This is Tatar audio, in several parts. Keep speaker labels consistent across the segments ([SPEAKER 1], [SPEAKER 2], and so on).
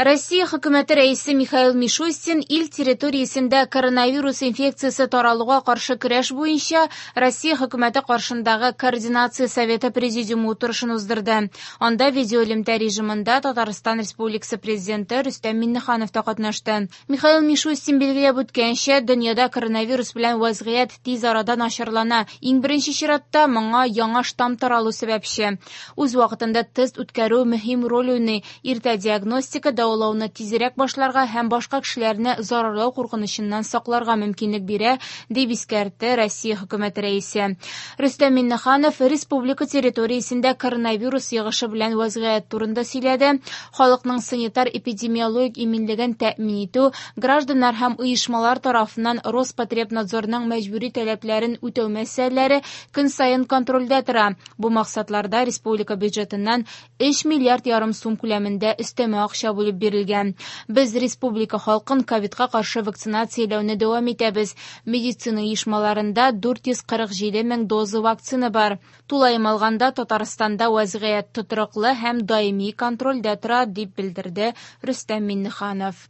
[SPEAKER 1] Россия Хөкүмәте Рәисе Михаил Мишустин ил территориясендә коронавирус инфекциясе таралуга каршы көрәш буенча Россия Хөкүмәте каршындагы Координация советы президиумы утырышын уздырды. Анда видеоэлемтә режимында Татарстан Республикасы Президенты Рөстәм Миңнеханов та катнашты. Михаил Мишустин билгеләп үткәнчә, дөньяда коронавирус белән вазгыять тиз арада начарлана. Иң беренче чиратта моңа яңа штамм таралу сәбәпче. Үз вакытында тест үткәрү мөһим роль уйный. Иртә диагностика дәвалауны тизрәк башларга һәм башка кешеләрне зарарлау куркынычыннан сакларга мөмкинлек бирә, дип искәртте Россия Хөкүмәте Рәисе. Рөстәм Миңнеханов республика территориясендә коронавирус йогышы белән вазгыять турында сөйләде. Халыкның санитар-эпидемиологик иминлеген тәэмин итү, гражданнар һәм оешмалар тарафыннан Роспотребнадзорның мәҗбүри таләпләрен үтәү мәсьәләләре көн саен контрольдә тора. Бу максатларда республика бюджетыннан 3 миллиард ярым сум күләмендә өстәмә акча бүлеп бирелгән. Без республика халкын ковидка каршы вакцинацияләүне дәвам итәбез. Медицина оешмаларында 447 мең доза вакцина бар. Тулаем алганда, Татарстанда вазгыять тотрыклы һәм даими контрольдә тора, дип белдерде Рөстәм Миңнеханов.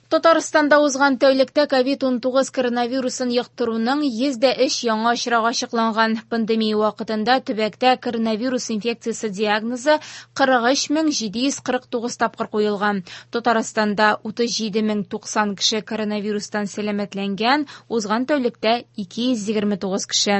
[SPEAKER 1] Татарстанда узган тәүлектә ковид-19 коронавирусын йоктыруның 103 яңа очрагы ачыкланган. Пандемия вакытында төбәктә коронавирус инфекциясе диагнозы 43749 тапкыр куелган. Татарстанда 37090 кеше коронавирустан сәламәтләнгән, узган тәүлектә 229 кеше.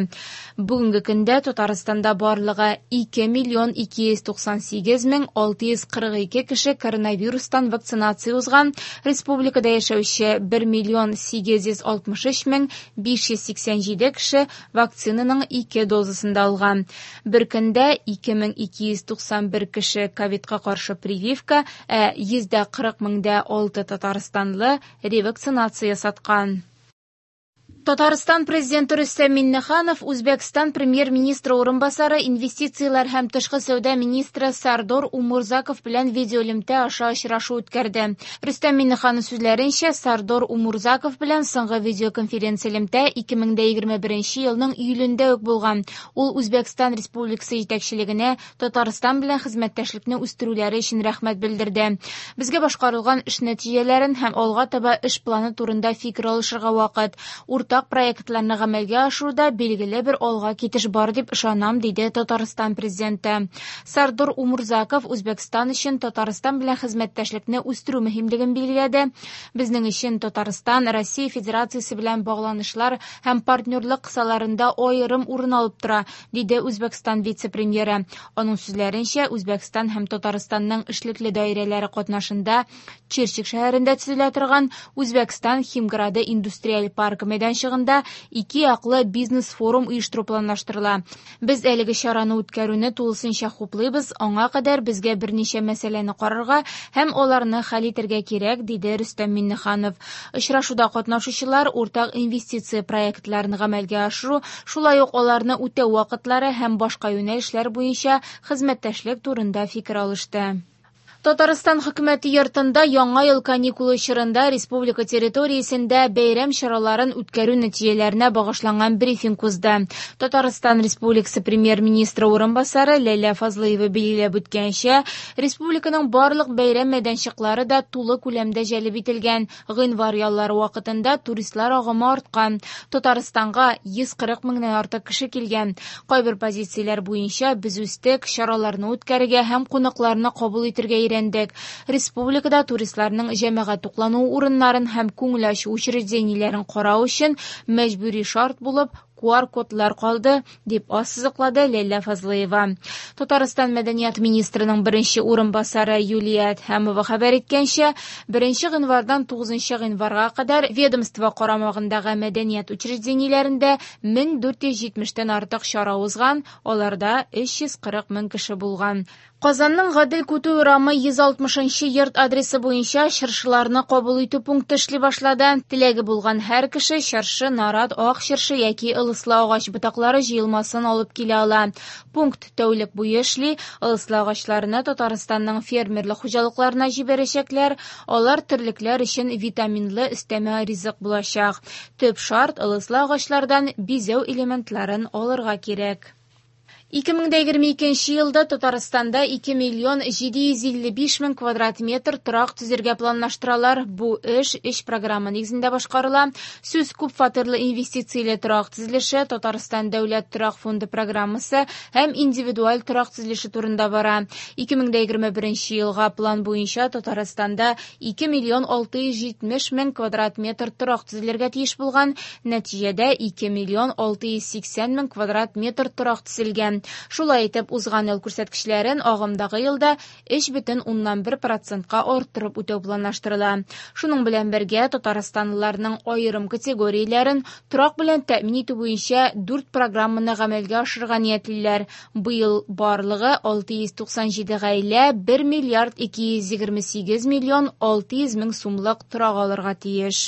[SPEAKER 1] Бүгенге көндә Татарстанда барлыгы 2 миллион 298 мең 642 кеше коронавирустан вакцинация узган. Республикада яшәүче 1 миллион 863 мең 587 кеше вакцинаның ике дозасын да алган. Бер көндә 2291 кеше ковидка каршы прививка, ә 140 меңдә 6 татарстанлы ревакцинация ясаткан. Татарстан Президенты Рөстәм Миңнеханов Үзбәкстан Премьер-министры урынбасары, инвестицияләр һәм тышкы сәүдә министры Сардор Умурзаков белән видеоэлемтә аша очрашу үткәрде. Рөстәм Миңнеханов сүзләренчә, Сардор Умурзаков белән соңгы видеоконференция элемтә 2021 елның июлендә үк булган. Ул Үзбәкстан Республикасы җитәкчелегенә Татарстан белән хезмәттәшлекне үстерүләре өчен рәхмәт белдерде. Безгә башкарылган эш нәтиҗәләрен һәм алга таба эш планы турында фикер алышырга вакыт. Уртак проектларны гамәлгә ашыруда билгеле бер алга китеш бар дип ышанам, диде Татарстан Президенты. Сардор Умурзаков Үзбәкстан өчен Татарстан белән хезмәттәшлекне үстерү мөһимлеген билгеләде. Безнең өчен Татарстан Россия Федерациясе белән багланышлар һәм партнерлык кысаларында аерым урын алып тора, диде Үзбәкстан вице-премьеры. Аның сүзләренчә, Үзбәкстан һәм Татарстанның эшлекле даирәләре катнашында Чирчик шәһәрендә төзелә торган Үзбәкстан Химграды индустриаль паркы мәйданчыгында ике яклы бизнес-форум оештыру планлаштырыла. Без әлеге чараны үткәрүне тулысынча хуплыйбыз, аңа кадәр безгә берничә мәсьәләне карарга һәм аларны хәл итәргә кирәк, диде Рөстәм Миңнеханов. Очрашуда катнашучылар уртак инвестиция проектларын гамәлгә ашыру, шулай ук аларны үтәү вакытлары һәм башка юнәлешләр буенча хезмәттәшлек турында фикер алышты. Татарстан хөкүмәте йортында яңа ел каникулы чорында республика территориясендә бәйрәм чараларын үткәрү нәтиҗәләренә багышланган брифинг узды. Татарстан Республикасы премьер-министры урынбасары Ләйлә Фазлыева билгеләп үткәнчә, республиканың барлык бәйрәм мәйданчыклары да тулы күләмдә җәлеп ителгән. Гыйнвар яллары вакытында туристлар агымы арткан. Татарстанга 140 меңнән артык кеше килгән. Кайбер позицияләр буенча без үстек, чараларны үткәрергә һәм кунакларны кабул итәргә өйрәндек. Республикада туристларның җәмәгать туклануы урыннарын һәм күңел ачу учреждениеләрен карау өчен мәҗбүри шарт булып QR-кодлар калды, дип ассызыклады Ләйлә Фазлыева. Татарстан мәдәният министрының беренче урынбасары Юлия Әдһәмова хәбәр иткәнчә, 1 гыйнвардан 9 гыйнварга кадәр ведомство карамагындагы мәдәният учреждениеләрендә 1470-тән артык чара узган, аларда 340 мең кеше булган. Казанның Гадел Кутуй урамы 160 йорт адресы буенча чыршыларны кабул итү пункты эшли башлады. Теләге булган һәр кеше чыршы, нарат, ак чыршы яки ылыслы агач ботаклары җыелмасын алып килә ала. Пункт тәүлек буе эшли. Ылыслы агачларны Татарстанның фермерлык хуҗалыкларына җибәрәчәкләр. Алар терлекләр өчен витаминлы өстәмә ризык булачак. Төп шарт ылыслы агачлардан бизәү элементларын алырга кирәк. 2022 елда Татарстанда 2 миллион 755 мең квадрат метр торак төзергә планлаштыралар. Бу эш өч программа нигезендә башкарыла. Сүз күп фатирлы инвестицияле торак төзелеше, Татарстан дәүләт торак фонды программасы һәм индивидуаль торак төзелеше турында бара. 2021 елга план буенча Татарстанда 2 миллион 670 мең квадрат метр торак төзелергә тиеш булган. Нәтиҗәдә 2 миллион 680 мең квадрат метр торак төзелгән. Шулай итеп, узган ел күрсәткечләрен агымдагы елда 3,1%-ка арттырып үтәү планлаштырыла. Шуның белән бергә татарстанлыларның аерым категорияләрен торак белән тәэмин итү буенча 4 программаны гамәлгә ашырырга ниятлиләр. Быел барлыгы 697 гаилә 1 миллиард 228 миллион 600 мең сумлык торак алырга тиеш.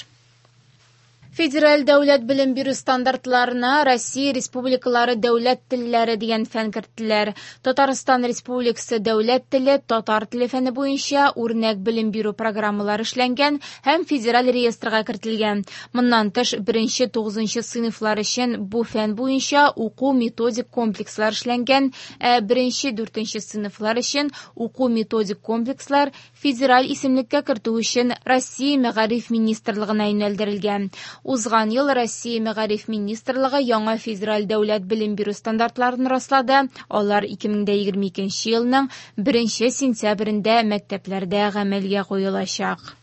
[SPEAKER 1] Федераль дәүләт белем бирү стандартларына Россия республикалары дәүләт телләре дигән фән керттеләр. Татарстан Республикасы дәүләт теле, татар теле фәне буенча үрнәк белем бирү программалары эшләнгән һәм федераль реестрга кертелгән. Моннан тыш, 1-9 сыйныфлар өчен бу фән буенча уку методик комплекслар эшләнгән, ә 1-4 сыйныфлар өчен уку методик комплекслар федераль исемлеккә кертү өчен Россия Мәгариф министрлыгына юнәлдерелгән. Узган ел Россия Мәгариф министрлыгы яңа федераль дәүләт белем бирү стандартларын раслады. Алар 2022 елның 1 сентябрендә мәктәпләрдә гамәлгә куелачак.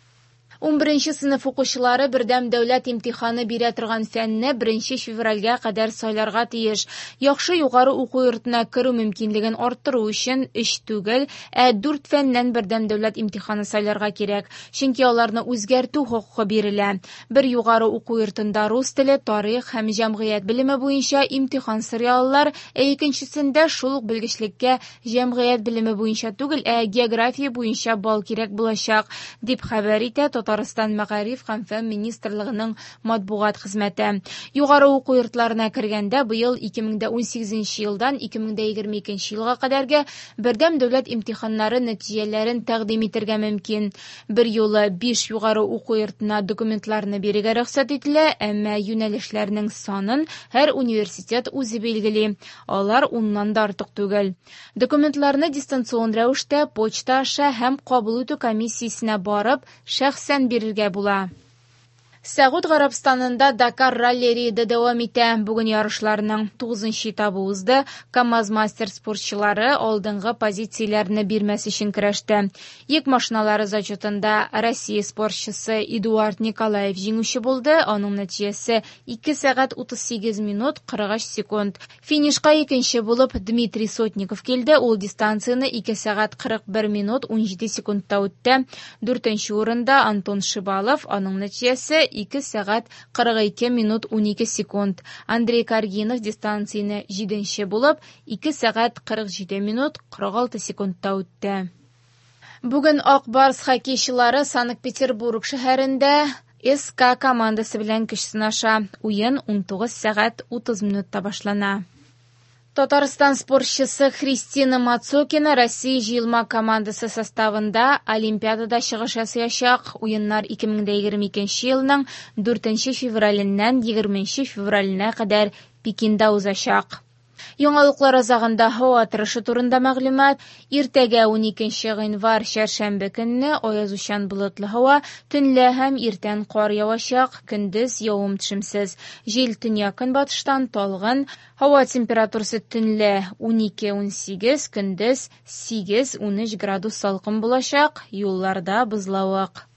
[SPEAKER 1] 11 сыйныф укучылары бердәм дәүләт имтиханы бирә торган фәнне 1 февральгә кадәр сайларга тиеш. Яхшы югары уку йортына керү мөмкинлеген арттыру өчен 3 түгел, ә 4 фәннән бердәм дәүләт имтиханы сайларга кирәк, чөнки аларны үзгәртү хокукы бирелә. Бер югары уку йортында рус теле, тарих һәм җәмгыять белеме буенча имтихан сорый алалар, ә икенчесендә шул ук белгечлеккә җәмгыять белеме буенча түгел, ә география буенча балл кирәк булачак, дип хәбәр итә Татарстан Мәгариф һәм фән министрлыгының матбугат хезмәте. Югары уку йортларына кергәндә быел 2018 елдан 2022 елга кадәрге бердәм дәүләт имтиханнары нәтиҗәләрен тәкъдим итәргә мөмкин. Бер юлы 5 югары уку йортына документларны бирергә рөхсәт ителә, әмма юнәлешләрнең санын һәр университет үзе билгели. Алар 10-нан да артык түгел. Документларны дистанцион рәвештә почта аша һәм кабул итү комиссиясенә барып, шәхсән бирергә була. Сәгуд Гарәбстанында Дакар ралли рейды дәвам итә. Бүген ярышларның 9-нчы этабы узды. КАМАЗ-мастер спортчылары алдынгы позицияләрне бирмәс өчен көрәште. Йөк машиналары зачетында Россия спортчысы Эдуард Николаев җиңүче булды. Аның нәтиҗәсе 2 сәгать 38 минут 43 секунд. Финишка икенче булып Дмитрий Сотников килде. Ул дистанцияне 2 сәгать 41 минут 17 секундта үтте. 4-нче урында Антон Шибалов, аның нәтиҗәсе 2 сәгать 42 минут 12 секунд. Андрей Каргинов дистанцияне 7-нче булып 2 сәгать 47 минут 46 секундта үтте. Бүген Ак Барс хоккейчылары Санкт-Петербург шәһәрендә СК командасы белән көч сынаша. Уен 19 сәгать 30 минутта башлана. Татарстан спортчысы Христина Мацокина Россия җыелма командасы составында Олимпиадада чыгыш ясаячак. Уеннар 2022 елның 4 февраленнән 20 февраленә кадәр Пекинда узачак. Яңалыклар азагында һава торышы турында мәгълүмат. Иртәгә 12 гыйнвар чәршәмбе көнне аязучан болытлы һава, төнлә һәм иртән кар явачак, көндез явым-төшемсез. Җил төньяк-көнбатыштан талгын, һава температурасы төнлә 12-18, көндез 8-13 градус салкын булачак, юлларда бозлавык.